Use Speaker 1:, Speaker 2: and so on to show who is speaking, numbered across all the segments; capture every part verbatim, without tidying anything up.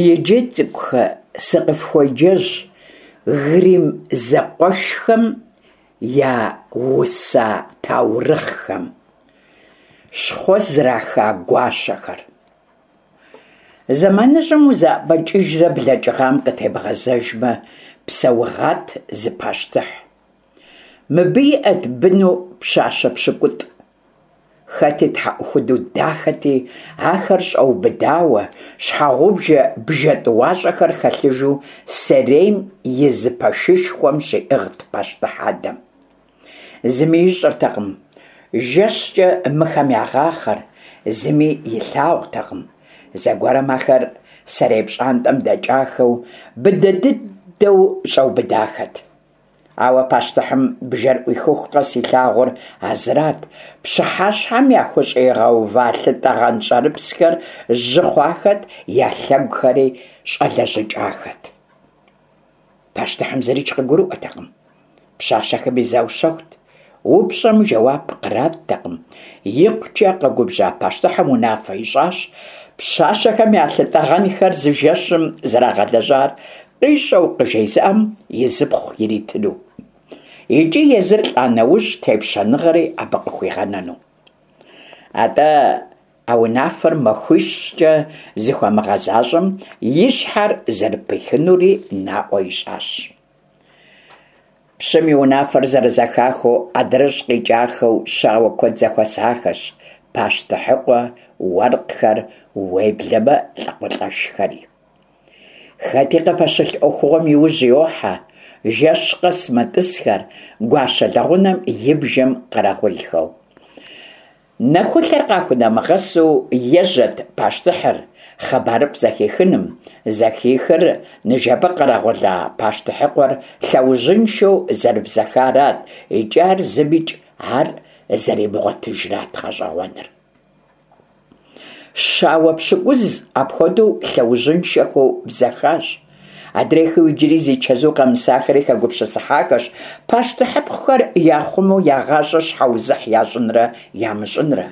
Speaker 1: Иджы, цӏыкӏухэ, сыкъыфхуеджэнщ Гримм зэкъуэшхэм яуса таурыхъхэм. Щхъуэ зраха гуащэхэр. Зэманыжьым узэӀэбэкӀыжрэ блэкӀыгъам къытебгъэзэжмэ, псэугъат зы пащтыхь. Мыбы иӀэт быну пщащэ пщыкӀутӀ. Хэти тхьэӀухуду дахэти, ахэр щӀэубыдауэ, щхьэгъубжэ бжэ тӀуащӀэхэр хэлъыжу сэрейм и зы пэшышхуэм щиӀыгът пащтыхь адэм. Зыми ищӀэртэкъым жэщкӀэ мыхэм ягъахъэр, зыми илъагъуртэкъым. Зэгуэрым ахэр сэрей пщӀантӀэм дэкӀахэу, быдэ дыдэу щӀэубыдахэт. Ауэ пащтыхьым бжэр Ӏуихыху къэс илъагъур а зырат: пщыхьэщхьэм яхущӀигъэува лъытӀэгъэн щӀэрыпсхэр жьы хъуахэт, я лъэгухэри щӀэлэжьыкӀахэт. Пащтыхьым зырикӀ къыгурыӀуэртэкъым. Пщащэхэми заущэхут. УпщӀэм жэуап къраттэкъым. ИкъукӀэ къэгубжьа пащтыхьым унафэ ищӀащ пщащэхэм я лъытӀэгъэнхэр зы жэщым зэрагъэлэжьар къищӀэу къыжезыӀэм и зыпхъу иритыну. ИкӀи езыр лӀа нэужь тепщэныгъэри абы къыхуигъэнэну. АтӀэ а унафэр махуищкӀэ зыхуэмыгъэзащӀэм и щхьэр зэрыпихынури наӀуэ ищӀащ. Пщым и унафэр зэрызэхахыу адрыщӀ къикӀахэу щауэ куэд зэхуэсахэщ: пащтыхьыкъуэ, уэркъхэр, уеблэмэ лӀакъуэлӀэшхэри. Хэти къыпэщылъ Ӏуэхугъуэм иужь йохьэ, жэщ къэс мэтӀысхэр гуащэ лэгъунэм и бжэм къэрэгъулхэу. Нэхулъэр къахунэмыгъэсу ежьэт пащтыхьыр хъыбарыфӀ зэхихыным. Зэхихыр ныжэбэ къэрэгъула пащтыхьыкъуэр лъэужьыншэу зэрыбзэхарат икӀи ар зымикӀ ар зэримыгъуэтыжрат гъэщӀэгъуэныр. Щауэ пщыкӀуз апхуэдэу лъэужьыншэхэу бзэхащ. Адрейхэу иджыри зи чэзу къэмысахэри хэгупсысыхьахэщ пащтыхьыпхъухэр яхъумэу я гъащӀэр щхьэузыхь ящӀынрэ ямыщӀынрэ.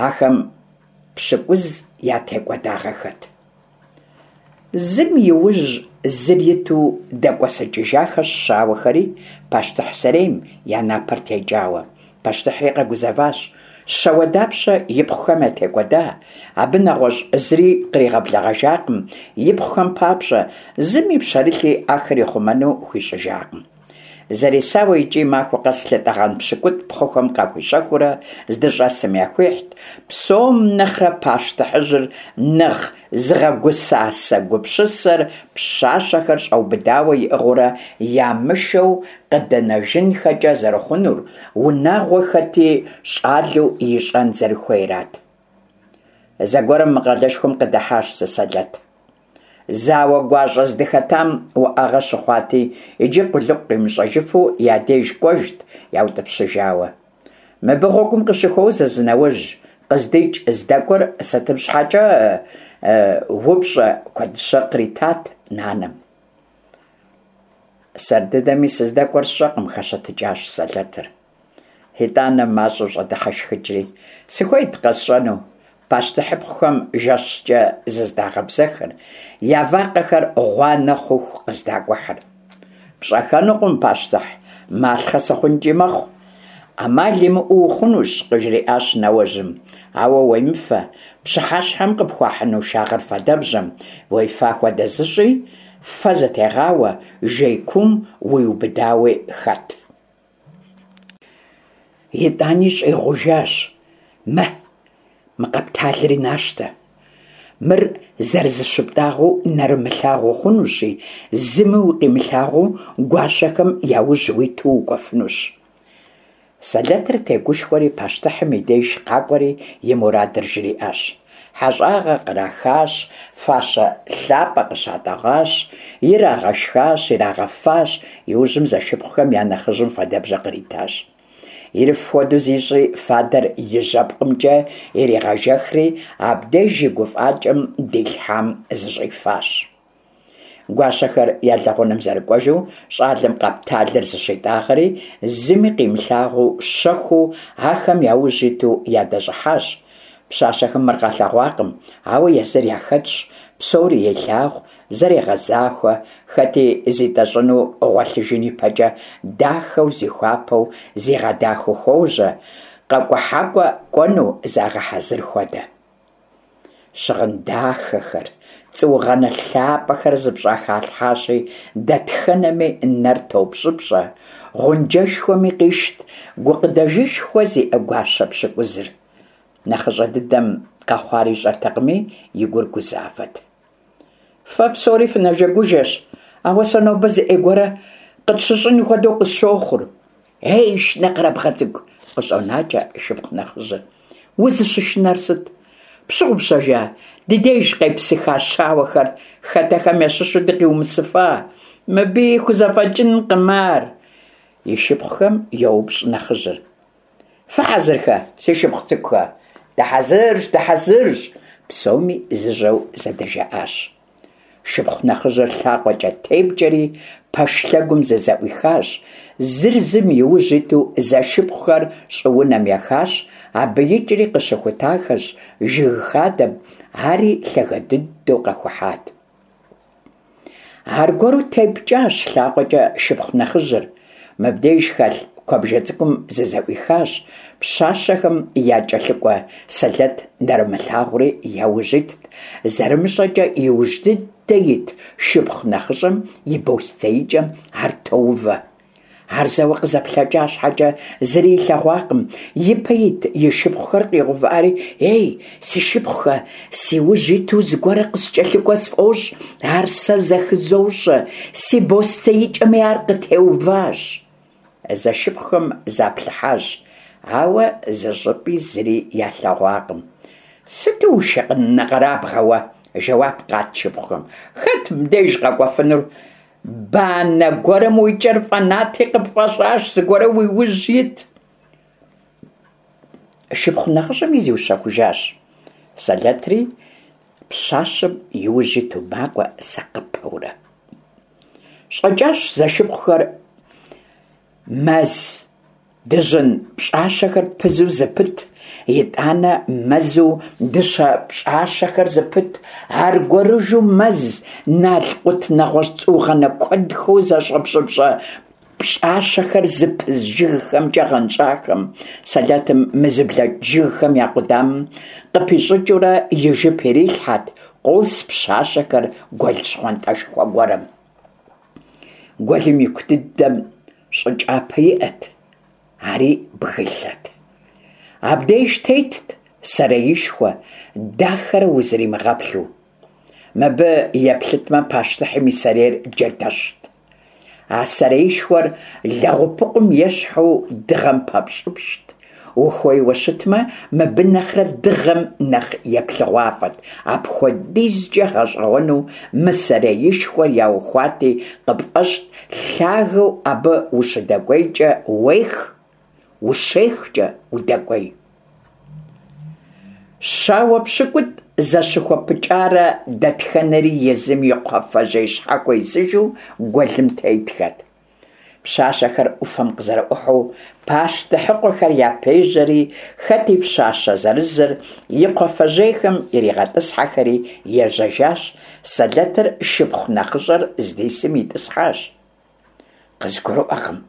Speaker 1: Ахэм пщыкӀуз ятекӀуэдагъэххэт. Зым и ужь зыр иту дэкӀуэсыкӀыжахэщ щауэхэри пащтыхь сэрейм, я напэр текӀауэ. Пащтыхьри къэгузэващ. Щауэ дапщэ ипхъухэм ятекӀуэда? Абы нэгъуэщӀ зыри къригъэблэгъэжакъым ипхъухэм папщӀэ, зыми пщэрылъи ахэр ихъумэну хуищӀыжакъым. Зэресауэ икӀи махуэ къэс лъытӀэгъэн пщыкӀутӀ пхъухэм къахуищэхуурэ здыщӀэсым яхуихьт. Псом нэхърэ пащтыхьыжьыр нэхъ зыгъэгусасэ гупсысэр пщащэхэр щӀэубыдауэ иӀыгъыурэ ямышэу къыдэнэжынхэкӀэ зэрыхъунур, унагъуэ хэти щӀалэу ищӀэн зэрыхуейрат. Зэгуэрым мы къалэшхуэм къыдыхьащ зы сэлэт. Зауэ гуащӀэ здыхэтам уӏэгъэ щыхъуати, иджы къулыкъу къимыщӀэжыфу я деж кӀуэжт яутӀыпщыжауэ. Мыбы гъуэгум къыщыхуозэ зы нэуэжь, къыздикӀ здэкӀуэр сытым щхьэкӀэ упщӀэ куэдыщэ къритат нанэм. Сэр дыдэми сыздэкӀуэр сщӀэкъым, хэщэтыкӀащ сэлэтыр. ИтӀанэ мащӀэу щӀэдыхьэшхыкӀри: сыхуейт къэсщӀэну пащтыхьыпхъухэм жэщкӀэ зыздагъэбзэхыр, я вакъэхэр гъуанэ хъуху къыздакӀухьыр. ПщӀэхэнукъым, пащтыхь, малъхъэ сыхъункӀи мэхъу. Ӏэмал имыӀэу ухъунущ, къыжриӀащ нэуэжьым, ауэ уемыфэ, пщыхьэщхьэм къыпхуахьыну шагъыр фадэбжьэм уефа хуэдэ зыщӀи, фэ зытегъауэ, жей куум уиубыдауи хэт. ИтӀани щӀигъужащ: мэ, мы къэпталри нащтэ. Мыр зэрызыщыптӀагъэу нэрымылъагъу ухъунущи, зыми укъимылъагъуу гуащэхэм я ужь уиту укӀуэфынущ. Сэлэтыр тегушхуэри пащтыхьым и деж къакӀуэри и мурадыр жриӀащ. ХьэщӀагъэ кърахащ, фащэ лъапӀэ къыщатӀэгъащ, ирагъэшхащ, ирагъэфащ. Иужьым зэшыпхъухэм я нэхъыжьым фадэбжьэ къритащ. Ириф хуэдэу зищӀри, фадэр и жьэпкъымкӀэ иригъэжэхри, абдеж и гуфӀакӀэм дилъхьам зыщӀифащ. Гуащэхэр я лэгъунэм зэрыкӀуэжу, щӀалэм къэпталыр зыщитӀагъэри, зыми къимылъагъуу, щэхуу ахэм я ужь иту ядэщӀыхьащ. Пщащэхэм мыр къалъэгъуакъым, ауэ езыр яхэтщ, псори елъагъу, зэрегъэзахуэ, хэти зитӀэщӀыну гъуэлъыжын ипэкӀэ дахэу зихуапэу зигъэдахэу хуожьэ, къэкӀухьакӀуэ кӀуэну загъэхьэзыр хуэдэ. Щыгъын дахэхэр, цӀуугъэнэ лъапӀэхэр зыпщӀэхалъхьащи, дэтхэнэми нэр топщӀыпщӀэ, гъунджэшхуэми къищт гукъыдэжышхуэ зиӀэ гуащэ пщыкӀузыр. НэхъыщӀэ дыдэм къэхъуар ищӀэртэкъыми, и гур гузавэт. Фэ псори фынэжэгужэщ, ауэ сэ нобэ зы Ӏей гуэрэ къытщыщӀын хуэдэу къысщохъур. Ей, шынэкъэрабгъэ цӀыкӀу, къыщӀонакӀэ шыпхъу нэхъыжьыр. Узыщышынэр сыт? Пщыгъупщэжа ди деж къепсыха щауэхэр хэтэхэм ящыщу дыкъиумысыфа? Мыбыи хузэфӀэкӀынкъым ар. И шыпхъухэм йоупщӀ нэхъыжьыр. Фыхьэзырхэ, си шыпхъу цӀыкӀухэ? Дыхьэзырщ, дыхьэзырщ! Псоми зыжьэу зэдыжаӀащ. Шыпхъу нэхъыжьыр лъакъуэкӀэ тепкӀэри пэш лъэгум зызэӀуихащ. Зыр зым и ужь иту зэшыпхъухэр щӀыунэм ехащ, абы икӀри къыщыхутахэщ жыг хадэм, ари лъагэ дыдэу къэхухьат. Аргуэру тепкӀащ лъакъуэкӀэ шыпхъу нэхъыжьыр. Мыбдеж хэлъ куэбжэ цӀыкӀум зызэӀуихащ, пщащэхэм якӀэлъыкӀуэ сэлэт нэрымылъагъури яужь итт, зэрымыщӀэкӀэ иужь дыдэ ит шыпхъу нэхъыщӀэм и бостеикӀэм ар тоувэ. Ар зэуэ къызэплъэкӀа щхьэкӀэ зыри илъэгъуакъым, ипэ ит и шыпхъухэр къигъэувыӀэри, «Ей, си шыпхъухэ, си ужь иту зыгуэрэ къыскӀэлъыкӀуэ сфӀощӀ, ар сэ зэхызощӀэ, си бостеикӀэми ар къытеуващ». Зэшыпхъухэм заплъыхьащ, ауэ зыщӀыпӀи зыри ялъэгъуакъым. «Сыту ушынэкъэрабгъэ уэ!» жэуап къат шыпхъухэм. «Хэт мыбдеж къэкӀуэфынур? Банэ гуэрым уи кӀэр фӀэнати, къыпфӀэщӀащ зыгуэр уи ужь ит». Шыпхъу нэхъыщӀэми зиущэхужащ. Сэлэтри пщащэм и ужь иту макӀуэ сакъыпэурэ. ЩӀэкӀащ зэшыпхъухэр мэз дыжьын пщӀащэхэр пызу зыпыт, итӀанэ мэзу дыщэ пщӀащэхэр зыпыт, аргуэрыжу мэз налкъут нэгъуэщӀ цӀуугъэнэ куэдхэу зэщӀэпщӀыпщӀэ пщӀащэхэр зыпыз жыгхэмкӀэ гъэнщӀахэм. Сэлэтым мы зыблэкӀ жыгхэм я къудамэм къыпищӀыкӀыурэ и жып ирилъхьэт, къос пщащэхэр гуэл щхъуантӀэшхуэ гуэрым. Гуэлым ику дыдэм щӀы кӀапэ иӀэт, ари бгылъэт. Абдеж тетт сэреишхуэ, дахэрэ узримыгъэплъу. Мыбы еплъытмэ, пащтыхьым и сэрейр джэдэщт. А сэреишхуэр лэгъупыкъум ещхьу дыгъэм пэпщӀыпщӀт. Ухуейуэ щытмэ, мыбы нэхърэ дыгъэм нэхъ еплъыгъуафӀэт. АпхуэдизкӀэ гъэщӀэгъуэну мы сэреишхуэр яухуати, къыпфӀэщӀт лъагэу абы ущыдэкӀуейкӀэ уех, ущехкӀэ удэкӀуей. Щауэ пщыкӀутӀ зэщыхуэпыкӀарэ дэтхэнэри езым и кхъуафэжьей щхьэхуэ исыжу гуэлым тетхэт. Пщащэхэр Ӏуфэм къызэрыӀухьэу пащтыхьыкъуэхэр япежьэри, хэти пщащэ зырызыр и кхъуафэжьейхэм иригъэтӀысхьэхэри ежьэжащ, сэлэтыр шыпхъу нэхъыщӀэр здисым итӀысхьащ. КъызгурыӀуэкъым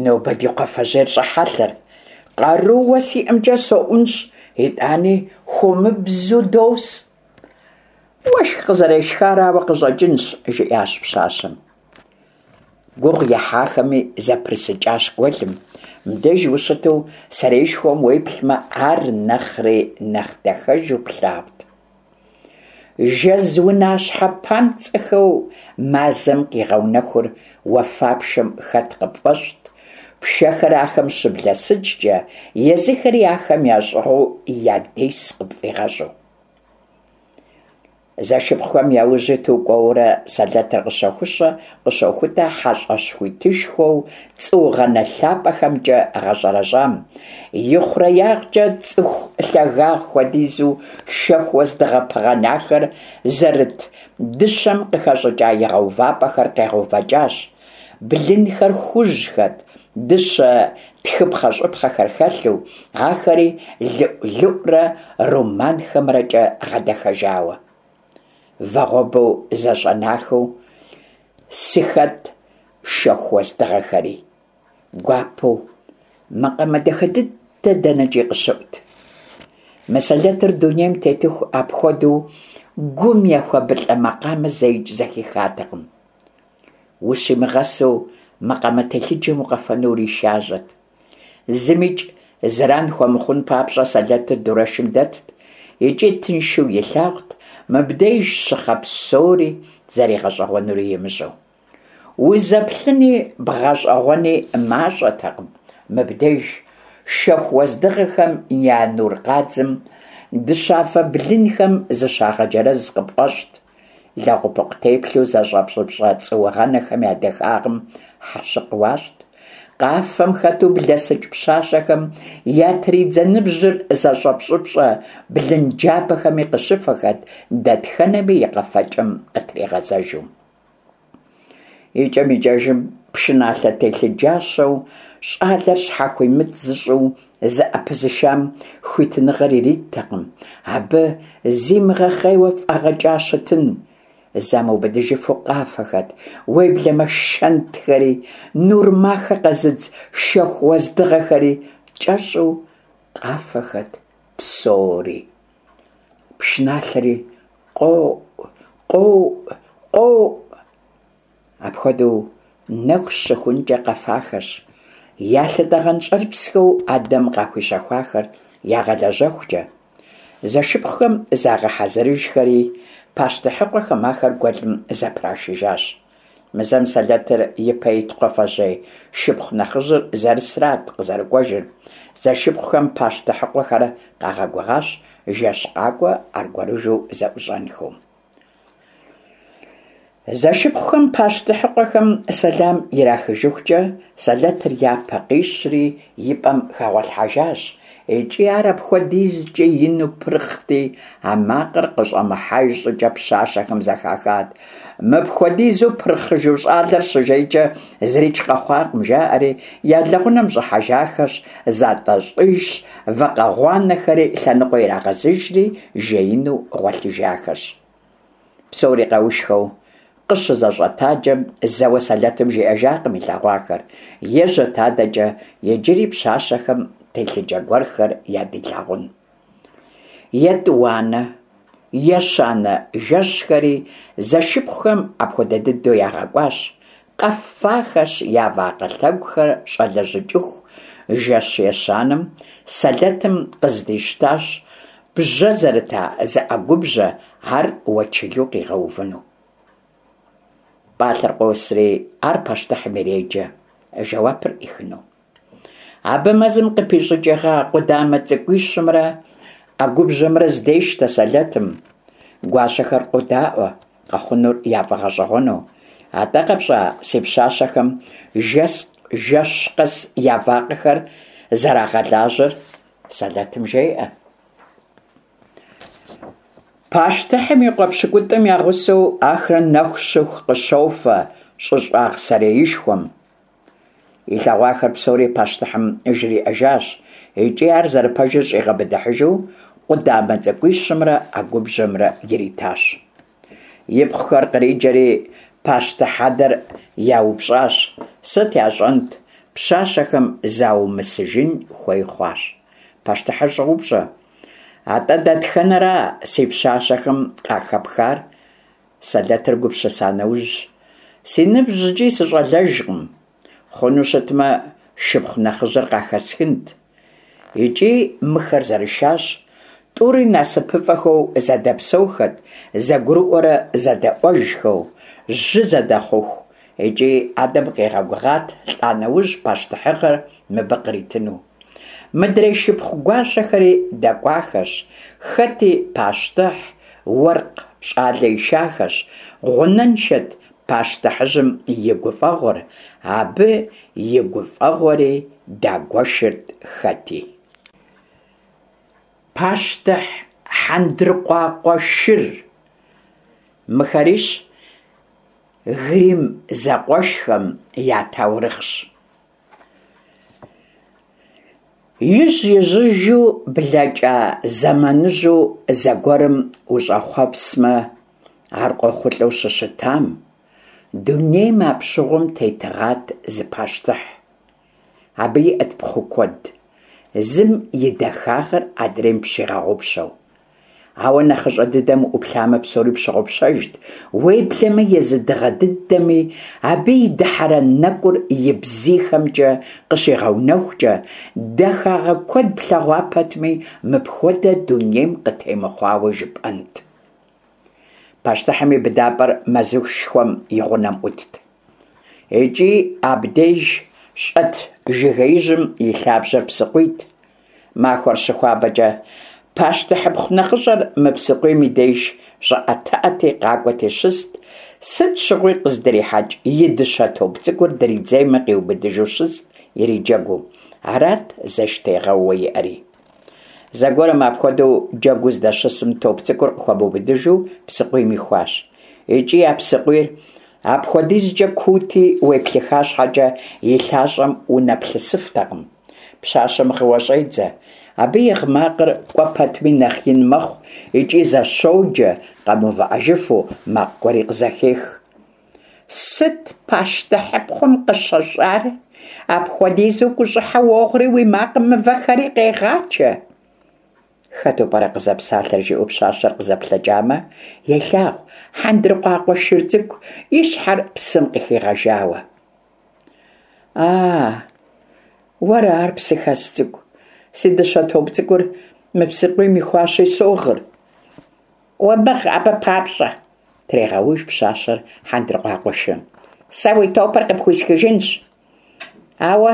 Speaker 1: нобэ ди кхъуафэжьейр щӀэхьэлъэр. Къарууэ сиӀэмкӀэ соӀунщӀ, итӀани хуэмыбзу дос. Уэшх къызэрешхарауэ къыщӀэкӀынщ, жиӀащ пщащэм. Гугъу ехьахэми зэпрысыкӀащ гуэлым. Мыбдеж ущыту сэреишхуэм уеплъмэ, ар нэхъри нэхъ дахэжу плъагъут. Жэз унащхьэ папцӀэхэу мазэм къигъэунэхур уафапшэм хэт къыпфӀэщӀт, пшэхэр ахэм щыблэсыкӀкӀэ, езыхэри ахэм ящӀыгъуу ядес къыпфӀигъэщӀу. Зэшыпхъухэм я ужь иту кӀуэурэ сэлэтыр къыщохущэ къыщохутэ хьэщӀэщ хуитышхуэу цӀуугъэнэ лъапӀэхэмкӀэ гъэщӀэрэщӀам. ИхъуреягъкӀэ цӀыху лъагагъ хуэдизу шэху уэздыгъэ пыгъэнахэр зэрыт дыщэм къыхэщӀыкӀа игъэувапӀэхэр къегъэувэкӀащ. Блынхэр хужьхэт, дыщэ тхыпхъэщӏыпхъэхэр хэлъу, ахэри лыӏу-лыӏурэ руманхэмрэкӏэ гъэдэхэжауэ. Вагъуэбэу зэщӏэнахэу сыхэт шэху уэздыгъэхэри. Гуапэу, макъамэ дахэ дыдэ дэнэкӏи къыщыӏут. Мы сэлэтыр дунейм тетыху апхуэдэу гум ехуэбылӏэ макъамэ зэикӏ зэхихатэкъым. Ущимыгъэсу макъамэ телъыджэм укъэфэну уришажьэт. Зымикӏ зэран хуэмыхъун папщӏэ сэлэтыр дурэшым дэтт икӏи тыншу илъагъут мыбдеж щыхъэ псори зэригъэщӏэгъуэнури имыщӏэу. Узэплъыни бгъэщӏэгъуэни мащӏэтэкъым мыбдеж шэху уэздыгъэхэм я нур къадзым дыщафэ блынхэм зыщагъэджэрэз къыпфӏэщӏт, лэгъупыкъу теплъэу зэщӏэпщӏыпщӏэ цӏуугъэнэхэм я дахагъым хьэщыкъ уащӏт, къафэм хэту блэсыкӏ пщащэхэм ятридзэ ныбжьыр зэщӏэпщӏыпщӏэ блынджабэхэми къыщыфэхэт, дэтхэнэми и къэфэкӏэм къытригъэзэжу. Икӏэм-икӏэжым пшыналъэ телъыджащэу щӏалэр щхьэхуимыт зыщӏу зыӏэпызышам хуитыныгъэр ириттэкъым, абы зимыгъэхъейуэ фӏэгъэкӏа щытын. Замыубыдыжыфу къафэхэт, уеблэмэ шэнтхэри, нур махэ къэзыдз шэху уэздыгъэхэри, кӏэщӏу къафэхэт псори. Пшыналъэри къоӏу, къоӏу, къоӏу. Апхуэдэу нэху щыхункӏэ къэфахэщ, я лъытӏэгъэн щӏэрыпсхэу адэм къахуищэхуахэр ягъэлэжьэхукӏэ. Зэшыпхъухэм загъэхьэзырыжхэри, пащтыхьыкъуэхэм ахэр гуэлым зэпрашыжащ. Мы зэм сэлэтыр ипэ ит кхъуафэжьей шыпхъу нэхъыжьыр зэрысрат къызэрыкӏуэжыр. Зэшыпхъухэм пащтыхьыкъуэхэр къагъэгугъащ жэщ къакӏуэ аргуэрыжу зэӏущӏэнхэу. Зэшыпхъухэм пащтыхьыкъуэхэм сэлам ирахыжыхукӏэ сэлэтыр япэ къищри и пӏэм хэгъуэлъхьэжащ, икӏи ар апхуэдизкӏэ ину пырхъти, а макъыр къыщӏэмыхьэж щӏыкӏэ пщащэхэм зэхахат. Мыпхуэдизу пырхъыжу щӏалэр щыжейкӏэ зырикӏ къэхъуакъым, жаӏэри я лэгъунэм щӏыхьэжахэщ, затӏэщӏыжщ, вакъэ гъуанэхэри лъэныкъуэ ирагъэзыжри жеину гъуэлъыжахэщ. Псори къэушхэу къыщызэщӏэтаджэм зэуэ сэлэтым жиӏэжакъым илъэгъуахэр, ежьэт адэкӏэ иджыри пщащэхэм телъыджэ гуэрхэр ядилъагъун. Етӏуанэ, ещанэ жэщхэри зэшыпхъухэм апхуэдэ дыдэу ягъэкӏуащ, къэфахэщ я вакъэ лъэгухэр щӏэлэжьыкӏыху. Жэщ ещанэм сэлэтым къыздищтащ бжьэ зэрыта зы ӏэгубжьэ, ар уэчылу къигъэувыну. Пӏалъэр къосри ар пащтыхьым иреджэ, жэуапыр ӏихыну. Абы мэзым къыпищӏыкӏыгъа къудамэ цӏыкӏуищымрэ ӏэгубжьэмрэ здещтэ сэлэтым. Гуащэхэр къодаӏуэ, къэхъунур яфӏэгъэщӏэгъуэну. Атӏэ къэпщӏа си пщащэхэм жэс жэщ къэс я вакъэхэр зэрагъэлажьэр? Сэлэтым жеӏэ. Пащтыхьым и къуэ пщыкӏутӏым я гъусэу ахэр нэху щыху къыщофэ щӏыщӏагъ сэреишхуэм. Илъэгъуахэр псори пащтыхьым жриӏэжащ, икӏи ар зэрыпэжыр щӏигъэбыдыхьыжу къудамэ цӏыкӏуищымрэ ӏэгубжьэмрэ иритащ. Ипхъухэр къриджэри пащтыхь адэр яупщӏащ. Сыт ящӏэнт, пщащэхэм заумысыжын хуей хъуащ. Пащтыхьыр щӏоупщӏэ: атӏэ дэтхэнэра си пщащэхэм къахэпхар? Сэлэтыр гупсыса нэужь: си ныбжькӏи сыщӏалэжкъым, хъуну щытмэ, шыпхъу нэхъыжьыр къахэсхынт. Икӏи мыхэр зэрышащ, тӏури насыпыфӏэхэу зэдэпсэухэт, зэгурыӏуэрэ зэдэӏуэжхэу, жьы зэдэхъуху. Икӏи адэм къигъэгугъат лӏа нэужь пащтыхьыгъэр мыбы къритыну. Мыдрей шыпхъу гуащэхэри дэкӏуахэщ, хэти пащтыхь, уэркъ щӏалэ ишахэщ. Гъунэншэт пащтыхьыжьым и гуфӏэгъуэр, абы и гуфӏэгъуэри дагуэшырт хэти. Пащтыхь хьэндыркъуакъуэ шыр. Мыхэрищ Гримм зэкъуэшхэм я таурыхъщ. Ижь-ижьыжу блэкӏа зэманыжьу зэгуэрым ущӏэхъуэпсмэ, ар къохъулӏэу щыщытам, дунейм апщыгъуэм тетыгъат зы пащтыхь. Абы иӏэт пхъу куэд, зым и дахагъэр адрейм пщигъэгъупщэу. Ауэ нэхъыщӏэ дыдэм уӏуплъамэ, псори пщыгъупщэжт, уеблэмэ езы дыгъэ дыдэми абы и дыхьэрэн нэкӏур и бзийхэмкӏэ къыщигъэунэхукӏэ, дахагъэ куэд плъэгъуа пэтми, мыпхуэдэ дунейм къытемыхъуауэ жыпӏэнт. Пащтыхьым и быдапӏэр мэзышхуэм и гъунэм ӏутт. Икӏи абдеж щӏэт жыгеижьым и лъабжьэр псыкъуийт. Махуэр щыхуабэкӏэ, пащтыхьыпхъу нэхъыщӏэр мы псыкъуийм и деж щӏыӏэтыӏэти, къакӏуэти щыст, сыт щыгъуи къыздрихьэкӏ и дыщэ топ цӏыкӏур дридзеймэ къиубыдыжу щыст, ириджэгуу. Арат зэштегъэууэ иӏэри. Зэгуэрым апхуэдэу джэгуу здэщысым, топ цӏыкӏур къыхуэмыубыдыжу псыкъуийм ихуащ. Икӏи а псыкъуийр апхуэдизкӏэ куути, уеплъыха щхьэкӏэ и лъащӏэм унэплъысыфтэкъым. Пщащэм гъыуэ щӏедзэ. Абы и гъы макъыр кӏуэ пэтми нэхъ ин мэхъу икӏи зэщоджэ, къэмыувыӏэжыфу, макъ гуэри къызэхех. Сыт пащтыхьыпхъум къыщыщӏар? Апхуэдизу гущӏыхьэ уогъри, уи макъым мывэхэри къегъачэ. Хэту пӏэрэ къызэпсалъэр, жиӏэу пщащэр къызэплъэкӏамэ, елъагъу хьэндыркъуакъуэ шыр цӏыкӏу и щхьэр псым къыхигъэжауэ. А, уэра ар, псыхэс цӏыкӏу? Си дыщэ топ цӏыкӏур мы псыкъуийм ихуащи, согъыр. Умыгъ абы папщӏэ, трегъэуж пщащэр хьэндыркъуакъуэ шырым. Сэ уи топыр къыпхуисхыжынщ. Ауэ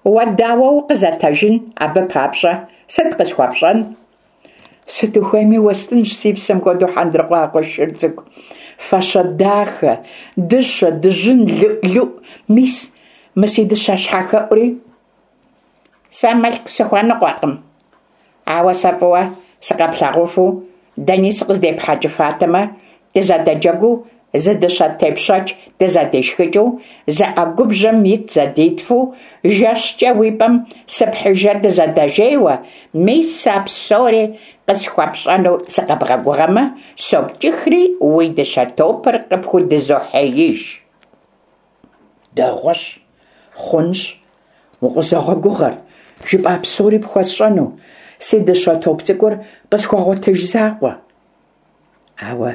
Speaker 1: уэ дауэ укъызэтэжын абы папщӏэ? Сыт къысхуэпщӏэн? Сыт ухуейми уэстынщ, си псэм хуэдэу хьэндыркъуакъуэ шыр цӏыкӏу. Фащэ дахэ, дыщэ, дыжьын, лыӏу-лыӏу, мис мы си дыщэ щхьэхэӏури. Сэ мылъку сыхуэныкъуэкъым. Ауэ сэ фӏыуэ сыкъэплъагъуфу, дэни сыкъыздепхьэкӏыфатэмэ, дызэдэджэгуу, зы дыщэ тепщэч дызэдишхыкӏыу, зы ӏэгубжьэм ит зэдитфу, жэщкӏэ уи пӏэм сыпхьыжрэ дызэдэжейуэ, мис а псори къысхуэпщӏэну сыкъэбгъэгугъэмэ, сопкӏыхри уи дыщэ топыр къыпхудызохьеиж. Дэгъуэщ, хъунщ, укъызогъэгугъэр, жыпӏа псори пхуэсщӏэну, си дыщэ топ цӏыкӏур къысхуэгъуэтыж закъуэ. Ауэ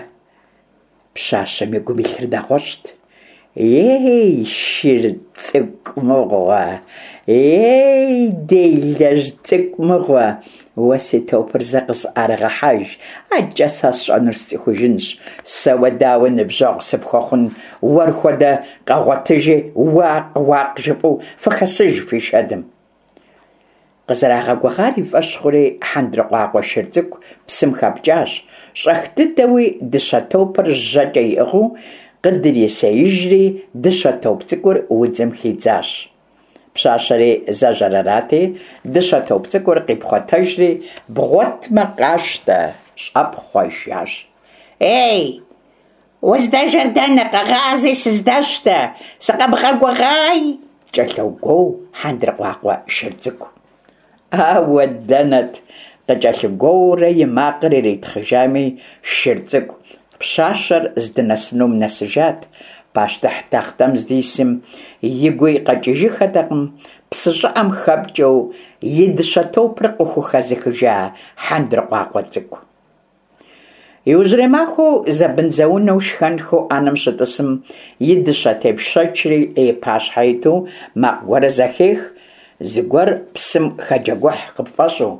Speaker 1: пщащэм и гум илъыр нэгъуэщӏт. Ей, шыр цӏыкӏу мыгъуэ, ей, делэжь цӏыкӏу мыгъуэ, уэ си топыр зэ къысӏэрыгъэхьэж, адэкӏэ сэ сщӏэнур сцӏыхужынщ. Сэ уэ дауэ ныбжьэгъу сыпхуэхъун, уэр хуэдэ къэгъуэтыжи, уакъ-уакъ жыфӏэу фыхэсыж фи шэдым. Къызэрагъэгугъар и фӏэщ хъури, хьэндыркъуакъуэ шыр цӏыкӏу псым хэпкӏащ, щӏэх дыдэуи дыщэ топыр жьэкӏэ иӏыгъыу къыдрисеижри, дыщэ топ цӏыкӏур удзым хидзащ. Пщащэри зэжьэр арати, дыщэ топ цӏыкӏур къипхъуэтэжри, бгъуэтмэ къащтэ, щӏэпхъуэжащ. Ей, уздэжэр дэнэ, къэгъази сыздэщтэ, сыкъэбгъэгугъай, кӏэлъогуоу хьэндыркъуакъуэ шыр цӏыкӏу. Ауэ дэнэт, къыкӏэлъыгуоурэ и макъыр иритхъыжами, шыр цӏыкӏу пщащэр здынэсынум нэсыжат. Пащтыхь тахътэм здисым и гуи къэкӏыжыххэтэкъым псы щӏыӏэм хэпкӏэу и дыщэ топыр къыхухэзыхыжа хьэндыркъуакъуэ цӏыкӏу. Иужьрей махуэу зэбынзэунэу шхэнхэу ӏэнэм щытӏысым, и дыщэ тепщэчри и пащхьэ иту макъ гуэр зэхех, зыгуэр псым хэджэгухь къыпфӏэщӏу.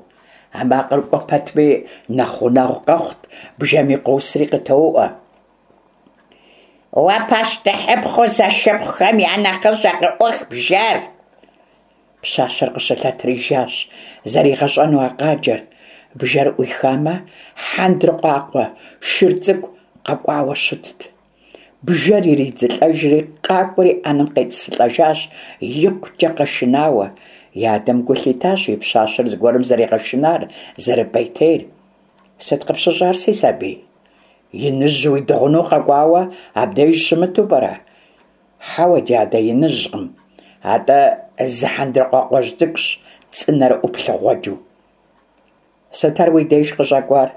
Speaker 1: А макъыр кӏуэ пэтми нэхъ гъунэгъу къэхъут, бжэми къосри къытоуӏуэ. Уэ пащтыхьыпхъуу зэшыпхъухэм я нэхъыщӏэ, къыӏух бжэр! Пщащэр къыщылъэтри жащ, зэригъэщӏэну а къаджэр. Бжэр ӏуихамэ, хьэндыркъуакъуэ шыр цӏыкӏу къэкӏуауэ щытт. Бжэр иридзылӏэжри, къакӏуэри ӏэнэм къетӏысылӏэжащ, икъукӏэ къэшынауэ. И адэм гу лъитащ и пщащэр зыгуэрым зэригъэшынар, зэрыпӏейтейр. Сыт къыпщыщӏар, си сабий? Иныжь уидыгъуну къэкӏуауэ абдеж щымыту пӏэрэ? Хьэуэ, дядэ, иныжькъым, атӏэ зы хьэндыркъуакъуэжь цӏыкӏущ, цӏынэрэ ӏуплъыгъуэджэу. Сыт ар уи деж къыщӏэкӏуар?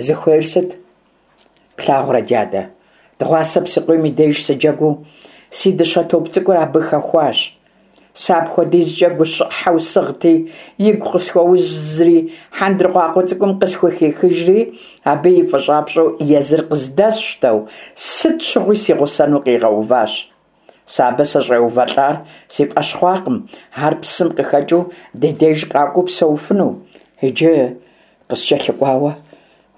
Speaker 1: Зыхуейр сыт? Плъагъурэ, дядэ, дыгъуасэ псыкъуийм и деж сыджэгуу си дыщэ топ цӏыкӏур абы хэхуащ. Сэ апхуэдизкӏэ гущӏыхьэу сыгъти, игу къысхуэузри, хьэндыркъуакъуэ цӏыкӏум къысхухихыжри, абы и фӏыщӏапщӏэу езыр къыздэсщтэу, сыт щыгъуи си гъусэну къигъэуващ. Сэ абы сыщӏеувэлӏар си фӏэщ хъуакъым, ар псым къыхэкӏыу ди деж къакӏуэу псэуфыну. Иджы къыскӏэлъыкӏуауэ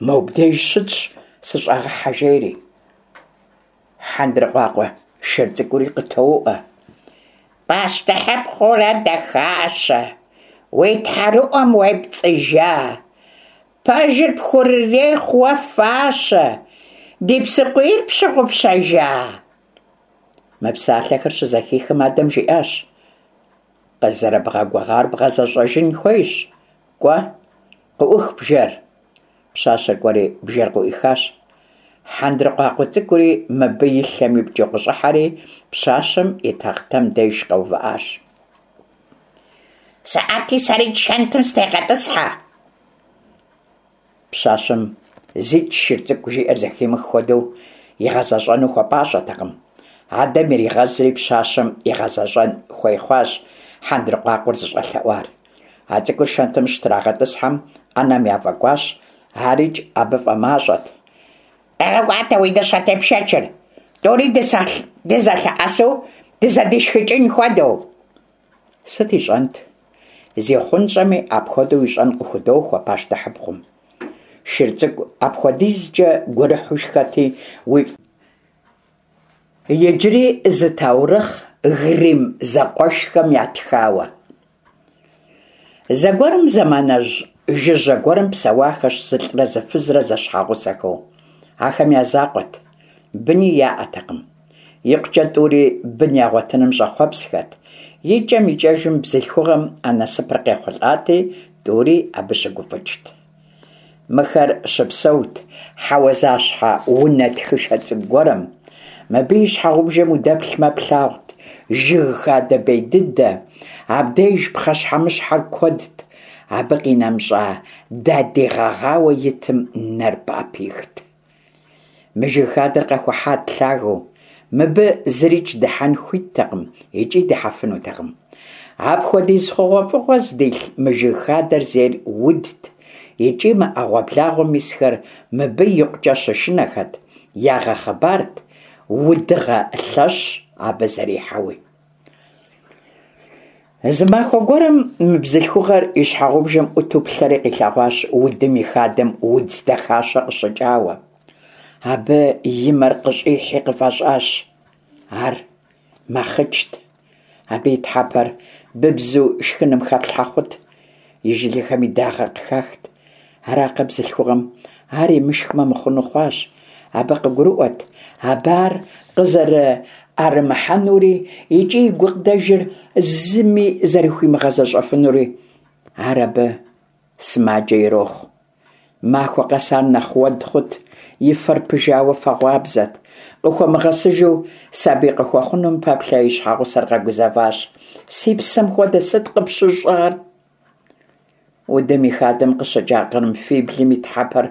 Speaker 1: мобдеж щытщ, сыщӏэгъыхьэ жери. Хьэндыркъуакъуэ шыр цӏыкӏури къытоуӏуэ.
Speaker 2: Пащтыхьыпхъурэ дахащэ, уи тхьэрыӏуэм уепцӏыжа, пэжыр пхурырехъу уэ фащэ, ди псыкъуийр пщыгъупщэжа?
Speaker 1: Мы псалъэхэр щызэхихым, адэм жиӏащ: Къызэрыбгъэгугъар бгъэзэщӏэжын хуейщ, кӏуэ, къыӏух бжэр. Пщащэр кӏуэри бжэр къыӏуихащ. Хьэндыркъуакъуэ цӏыкӏури мыбы и лъэм ипкӏыу къыщӏыхьэри, пщащэм и тахътэм деж къэувыӏащ.
Speaker 2: Сыӏэти сэрикӏ шэнтым сытегъэтӏысхьэ.
Speaker 1: Пщащэм зикӏ шыр цӏыкӏу жиӏэр зэхимых хуэдэу игъэзэщӏэну хуэпӏащӏэтэкъым. Адэм иригъэзри, пщащэм игъэзэщӏэн хуей хъуащ хьэндыркъуакъуэр зыщӏэлъэӏуар. А цӏыкӏур шэнтым щытрагъэтӏысхьэм, ӏэнэм яфӏэкӏуащ, арикӏ абы фӏэмащӏэт.
Speaker 2: Къэгъэкӏуатэ уи дыщэ тепшэчыр, тӏури дызэлъэӏэсу дызэдишхыкӏын хуэдэу.
Speaker 1: Сыт ищӏэнт? Зихъунщӏэми, апхуэдэу ищӏэн къыхудохуэ пащтыхьыпхъум. Шыр цӏыкӏу апхуэдизкӏэ гурыхьу шхэти, уи Иджыри зы таурыхъ Гримм зэкъуэшхэм ятхауэ. Зэгуэрым зэманыжь жыжьэ гуэрым псэуахэщ зылӏрэ зы фызрэ зэщхьэгъусэхэу. Ахэм я закъуэт, быни яӏэтэкъым. Икъукӏэ тӏури бын ягъуэтыным щӏэхъуэпсхэт. Икӏэм-икӏэжым бзылъхугъэм а насыпыр къехъулӏати, тӏури абы щыгуфӏыкӏт. Мыхэр щыпсэут хьэуазащхьэ унэ тхышэ цӏыкӏу гуэрым. Мыбы и щхьэгъубжэм удэплъмэ, плъагъут жыг хадэ бей дыдэ. Абдеж пхъэщхьэмыщхьэр куэдт, абы къинэмыщӏа дадий гъэгъауэ итым нэр пӏэпихт. Мы жыг хадэр къэхухьат лъагэу, мыбы зырикӏ дыхьэн хуиттэкъым икӏи дыхьэфынутэкъым. Апхуэдиз хъугъуэфӏыгъуэ зыдилъ мы жыг хадэр зейр удт икӏи мы ӏэгъуэблагъуэм исхэр мыбы икъукӏэ щышынэхэт, ягъэхъыбарт удыгъэ лъэщ абы зэрихьэуи. Зы махуэ гуэрым мы бзылъхугъэр и щхьэгъубжэм ӏуту плъэри къилъэгъуащ удым и хадэм удз дахащэ къыщыкӏауэ. Абы и мэр къыщӏихьи къыфӏэщӏащ. Ар мэхъычт. Абы и тхьэпэр быбзу шхыным хэплъхьэ хъут, и жылэхэми дагъэ къыхахт. Аракъэ бзылъхугъэм ар имышхмэ мыхъуну хъуащ. Абы къыгурыӏуэт абы ар къызэрыӏэрымыхьэнури икӏи и гукъыдэжыр зыми зэрыхуимыгъэзэщӏэфынури. Ар абы сымаджэ ирохъу. Махуэ къэс ар нэхъ уэд хъут, и фэр пыжауэ фэгъуабзэт. Къыхуэмыгъэсыжу сабий къыхуэхъунум пэплъэ и щхьэгъусэр къэгузэващ. Си псэм хуэдэ сыт къыпщыщӏар? Удым и хадэм къыщыкӏа кърымфиблым и тхьэпэр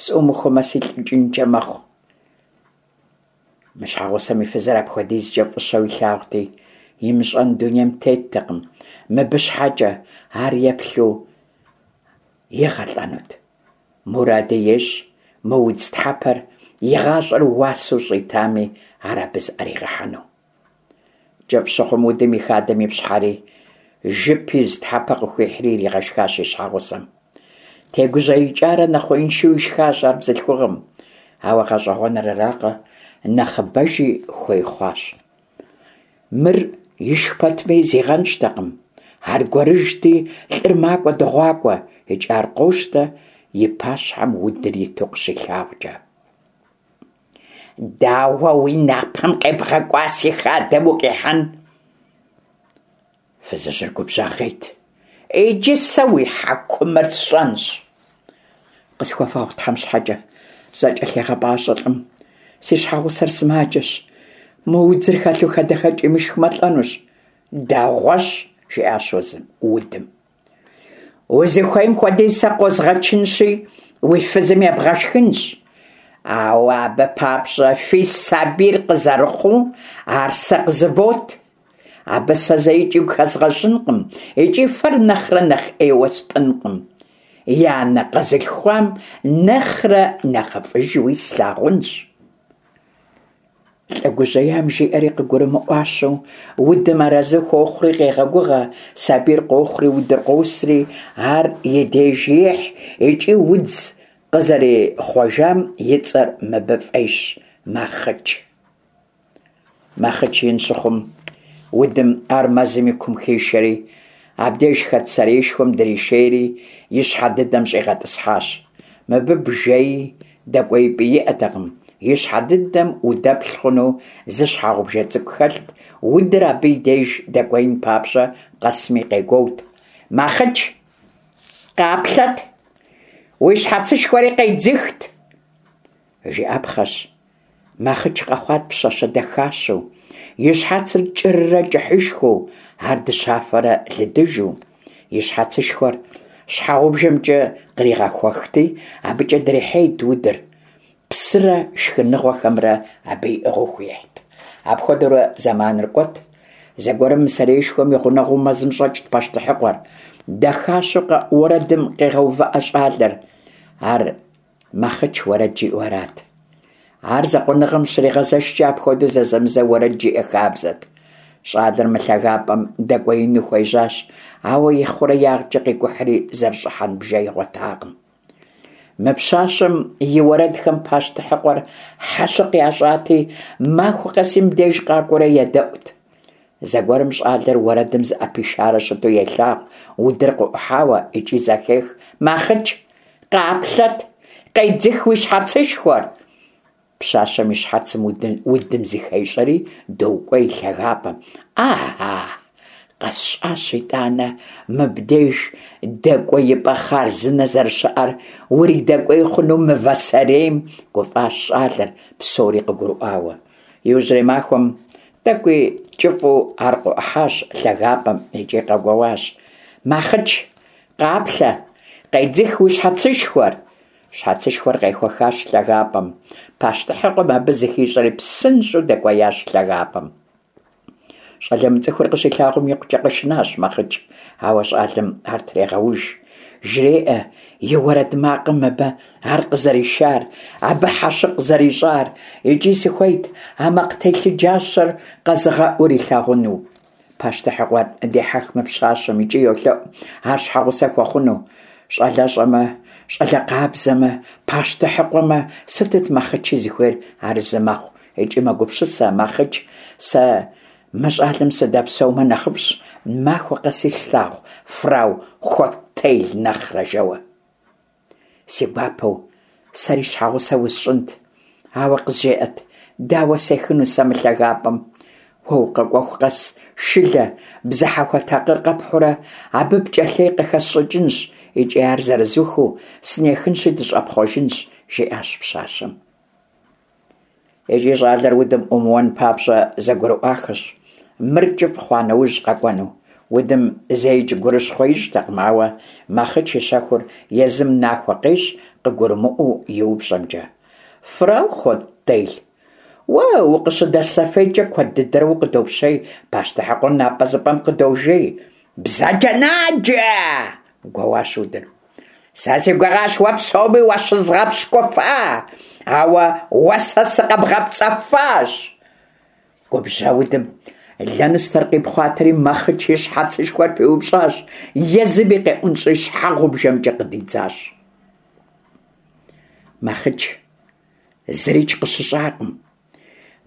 Speaker 1: сӏумыхуэмэ, силӏыкӏынкӏэ мэхъу. Мы щхьэгъусэм и фызыр апхуэдизкӏэ фӏыщэу илъагъути, имыщӏэн дунейм теттэкъым. Мыбы щхьэкӏэ ар еплъу игъэлӏэнут. Муради ещӏ мы удз тхьэпэр и гъащӏэр уасэу щӏитами, ар абы зыӏэригъэхьэну. Кӏыфӏ щыхъум удым и хадэм ипщхьэри, жып из тхьэпэ къыхуихьри иригъэшхащ и щхьэгъусэм. Тегужьеикӏарэ нэхъуеиншэу ишхащ ар бзылъхугъэм. Ауэ гъэщӏэгъуэныр аракъэ, нэхъыбэжи хуей хъуащ. Мыр ишх пэтми зигъэнщӏтэкъым. Аргуэрыжьти, лӏыр макӏуэ дыгъуакӏуэ, икӏи ар къощтэ и пащхьэм удыр иту къыщилъагъукӏэ.
Speaker 2: Дауэ уи напэм къебгъэкӏуа си хадэм укъихьэн?
Speaker 1: Фызыжьыр губжьагъейт.
Speaker 2: Иджы сэ уи хьэкумыр сщӏэнщ.
Speaker 1: Къысхуэвгъэгъу Тхьэм щхьэкӏэ, зэкӏэлъегъэпӏащӏэ лӏым. Си щхьэгъусэр сымаджэщ. Мо удзыр хэлъу хадэхэкӏ имышхмэ, лӏэнущ.
Speaker 2: Дэгъуэщ,
Speaker 1: жиӏащ удым. Узыхуейм хуэдиз сэ къозгъэчынщи, уи фызым ебгъэшхынщ. Ауэ абы папщӏэ фи сабийр къызэрыхъуу, ар сэ къызывот. Абы сэ зэикӏ игу хэзгъэщӏынкъым икӏи фэр нэхърэ нэхъ ӏейуэ спӏынкъым. И анэ къэзылъхуам нэхърэ нэхъыфӏыжуи слъагъунщ. Лӏы гужьеям жиӏэри къыгурымыӏуащэу, удым арэзы хуохъури къегъэгугъэ, сабийр къохъури удыр къосри, ар и деж ехь икӏи удз къызэрихъуэжам и цӏэр мыбы фӏещ Махъыч. Махъыч ин щыхъум, удым ар мэзым и кум хишэри, абдеж хэт сэреишхуэм дришейри, и щхьэ дыдэм щӏигъэтӏысхьащ. Мыбы бжэи дэкӏуеипӏи иӏэтэкъым, и щхьэ дыдэм удэплъ хъуну зы щхьэгъубжэ цӏыкӏу хэлът, удыр абы и деж дэкӏуеин папщӏэ къэсми къегуэут: «Махъыч, къаплъэт, уи щхьэцышхуэри къедзыхт!» Жиӏэпхъэщ, Махъыч къэхъуат пщащэ дахащэу, и щхьэцыр кӏыррэ кӏыхьышхуэу, ар дыщафэрэ лыдыжу. И щхьэцышхуэр щхьэгъубжэмкӏэ къригъэхуэхти, абыкӏэ дрихьейт удыр, псырэ шхыныгъуэхэмрэ абы иӏыгъыу хуихьт. Апхуэдэурэ зэманыр кӏуэт. Зэгуэрым мы сэреишхуэм и гъунэгъуу мэзым щӏэкӏт пащтыхьыкъуэр. Дахащэу къэӏу уэрэдым къегъэувыӏэ щӏалэр. Ар Махъыч уэрэд жиӏэу арат. Ар закъуэныгъэм щригъэзэшкӏэ апхуэдэу зэзэмызэ уэрэд жиӏэ хабзэт. Щӏалэр мы лъагапӏэм дэкӏуеину хуежьащ, ауэ и хъуреягъкӏэ къикӏухьри зэрыщӏыхьэн бжэ игъуэтакъым. Мы пщащэм и уэрэдхэм пащтыхьыкъуэр хьэщыкъ ящӏати, махуэ къэси мыбдеж къакӏуэурэ едэӏут. Зэгуэрым щӏалэр уэрэдым зыӏэпишарэ щыту елъагъу удыр къыӏухьауэ икӏи зэхех: «Махъыч, къаплъэт, къедзых уи щхьэцышхуэр!» Пщащэм и щхьэцым удым зыхещӏэри докӏуей лъагапӏэм. «Ага, къэсщӏащ итӏанэ мыбдеж дэкӏуеипӏэ хъарзынэ зэрыщыӏэр, уридэкӏуей хъуну мывэ сэрейм», гуфӏащ щӏалэр, псори къыгурыӏуауэ. Иужьрей махуэм тӏэкӏуи кӏыфӏу ар къыӏухьащ лъагапӏэм икӏи къэгуэуащ: «Махъыч, къаплъэ, къедзых уи щхьэцышхуэр!» Щхьэцышхуэр къехуэхащ лъагапӏэм. Пащтыхьыкъуэм абы зыхищӏэри псынщӏэу дэкӏуеящ лъагапӏэм. Щӏалэ мыцӏыхур къыщилъагъум икъукӏэ къэшынащ Махъыч, ауэ щӏалэм ар трегъэуж. Жреӏэ и уэрэд макъым мыбы ар къызэришар, абы хьэщыкъ зэрищӏар, икӏи сыхуейт а макъ телъыджащэр къэзыгъэӏур илъагъуну. Пащтыхьыкъуэр дехьэх мы пщащэм икӏи йолъэӏу ар щхьэгъусэ хуэхъуну. Щӏалэщӏэмэ, щӏалэ къабзэмэ, пащтыхьыкъуэмэ, сытыт Махъычи зыхуейр арэзы мэхъу икӏи мэгупсысэ Махъыч: «Сэ мы щӏалэм сыдэпсэумэ нэхъыфӏщ, махуэ къэси слъагъу фрау Хоттейль нэхърэ», жэуэ. Си гуапэу сэри щхьэгъусэ усщӏынт, ауэ къызжеӏэт, дауэ сехыну сэ мы лъагапӏэм? Уэ укъэкӏуэху къэс шылэ, бзыхьэхуэ такъыр къэпхьурэ абы пкӏэлъей къыхэсщӏыкӏынщ икӏи ар зэрызухыу сынехынщи дыщӏэпхъуэжынщ, жиӏащ пщащэм. Икӏи щӏалэр удым ӏумыуэн папщӏэ зэгурыӏуахэщ, мыр кӏыфӏ хъуа нэужь къэкӏуэну. Удым зэикӏ гурыщхъуэ ищӏтэкъым, ауэ Махъыч и щэхур езым нахуэ къещӏ къыгурымыӏуэу и упщӏэмкӏэ. «Фрау Хоттейль, уэ укъыщыдэслъэфейкӏэ куэд дыдэрэ укъыдопщей, пащтыхьыкъуэр напӏэзыпӏэм къыдожей». «Бзаджэнаджэ!» гуэуащ удыр. «Сэ си гугъащ уэ псоми уащызгъэпщкӏуфа, ауэ уэ сэ сыкъэбгъэпцӏэфащ!» Губжьа удым лэныстэр къипхъуатэри Махъыч и щхьэцышхуэр пиупщӏащ, езыми къеӏунщӏри щхьэгъубжэмкӏэ къыдидзащ. Махъыч зырикӏ къыщыщӏакъым.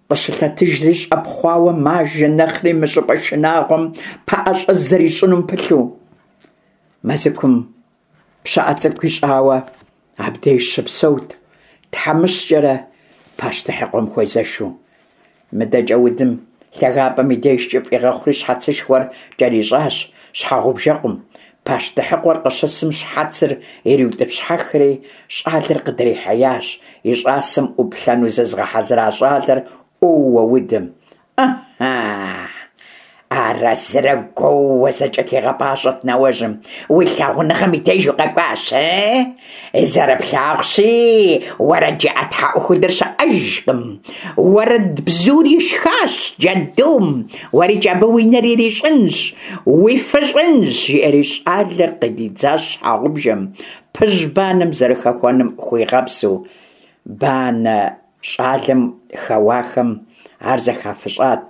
Speaker 1: Къыщылъэтыжри щӏэпхъуауэ мажэ, нэхъри мы щӏыпӏэ шынагъуэм пэӏэщӏэ зэрищӏынум пылъу. Мэзыкум пщыӏэ цӏыкӏу ищӏауэ абдеж щыпсэут, тхьэмыщкӏэрэ пащтыхьыкъуэм хуезэшу. Мыдэкӏэ удым лъагапӏэм и деж кӏыфӏ игъэхъури щхьэцышхуэр кӏэрищӏащ щхьэгъубжэкъум. Пащтыхьыкъуэр къыщысым щхьэцыр ириутӏыпщхьэхри, щӏалэр къыдрихьеящ. И щӏасэм ӏуплъэну зызыгъэхьэзыра щӏалэр ӏуоуэ удым. «Ыхьы, Арэзырэ гуоууэ зэкӀэлъигъэпӀащӀэрт нэуэжьым: «Уи лъагъуныгъэм и деж укъэкӀуащ, ы? Зэрыплъагъущи, уэрэджыӀэ тхьэӀухудыр щыӀэжкъым. Уэрэд бзур ишхащ джэдум, уэрикӀ абы уи нэр ирищӀынщ, уифыщӀынщ», – жиӀэри щӀалэр къыдидзащ щхьэгъубжэм, пыжь банэм зэрыхэхуэным хуигъэпсу. Банэ щӀалэм хэуахэм ар зэхафыщӀат,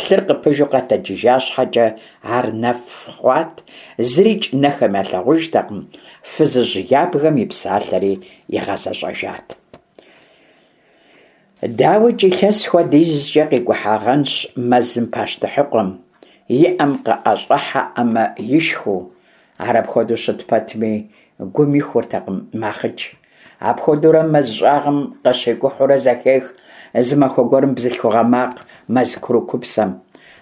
Speaker 1: лъыр къыпыжу къэтэджыжа щхьэкӀэ, ар нэф хъуат, зырикӀ нэхэм ялъагъужтэкъым, фызыжь ябгэм и псалъэри игъэзэщӀэжат. ДауикӀ, илъэс хуэдизкӀэ къикӀухьагъэнщ мэзым пащтыхьыкъуэм, и Ӏэм къыӀэщӀыхьэӀамэ ишхыу. Ар апхуэдэу щыт пэтми, гум ихуртэкъым Махъыч. Апхуэдэурэ мэз щӀагъым къыщикӀухьурэ зэхех зы махуэ гуэрым бзылъхугъэ макъ мэз курыкупсэм.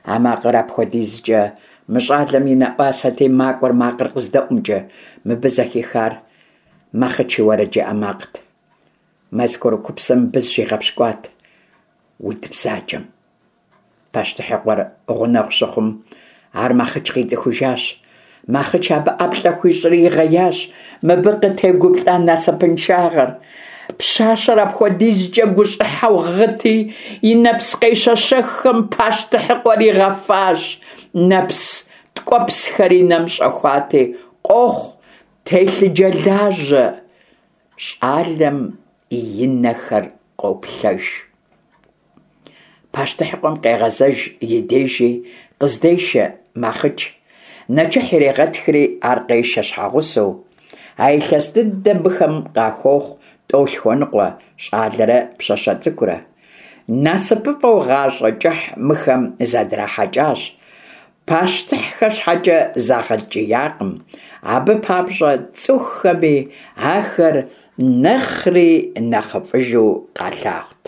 Speaker 1: А макъыр апхуэдизкӀэ мы щӀалэм и нэӀуасэти, макӀуэр макъыр къыздэӀумкӀэ. Мыбы зэхихар Махъыч и уэрэджыӀэ макът. Мэз курыкупсэм мыбы зыщигъэпщкӀуат уд бзаджэм. Пащтыхьыкъуэр гъунэгъу щыхъум, ар Махъыч къицӀыхужащ. Махъыч абы ӀэплӀэ хуищӀри игъеящ мыбы къытегуплӀа насыпыншагъэр. Пщащэр апхуэдизкӀэ гущӀыхьэу гъыти, и нэпс къещэщэххэм пащтыхьыкъуэр игъэфащ. Нэпс ткӀуэпсхэр и нэм щӀэхуати, къохъу телъыджэлажьэ щӀалэм и нэхэр къоплъэж. Пащтыхьыкъуэм къегъэзэж и дежи къыздешэ Махъыч. Нэчыхь ирегъэтхри, ар къешэ щхьэгъусэу. А илъэс дыдэм мыхэм къахуохъу тӀолъхуэныкъуэ – щӀалэрэ пщащэ цӀыкӀурэ. НасыпыфӀэу гъащӀэ кӀыхь мыхэм зэдрахьэкӀащ. Пащтыхьхэ щхьэкӀэ загъэткӀиякъым, абы папщӀэ цӀыхухэми ахэр нэхъри нэхъыфӀыжу къалъагъут.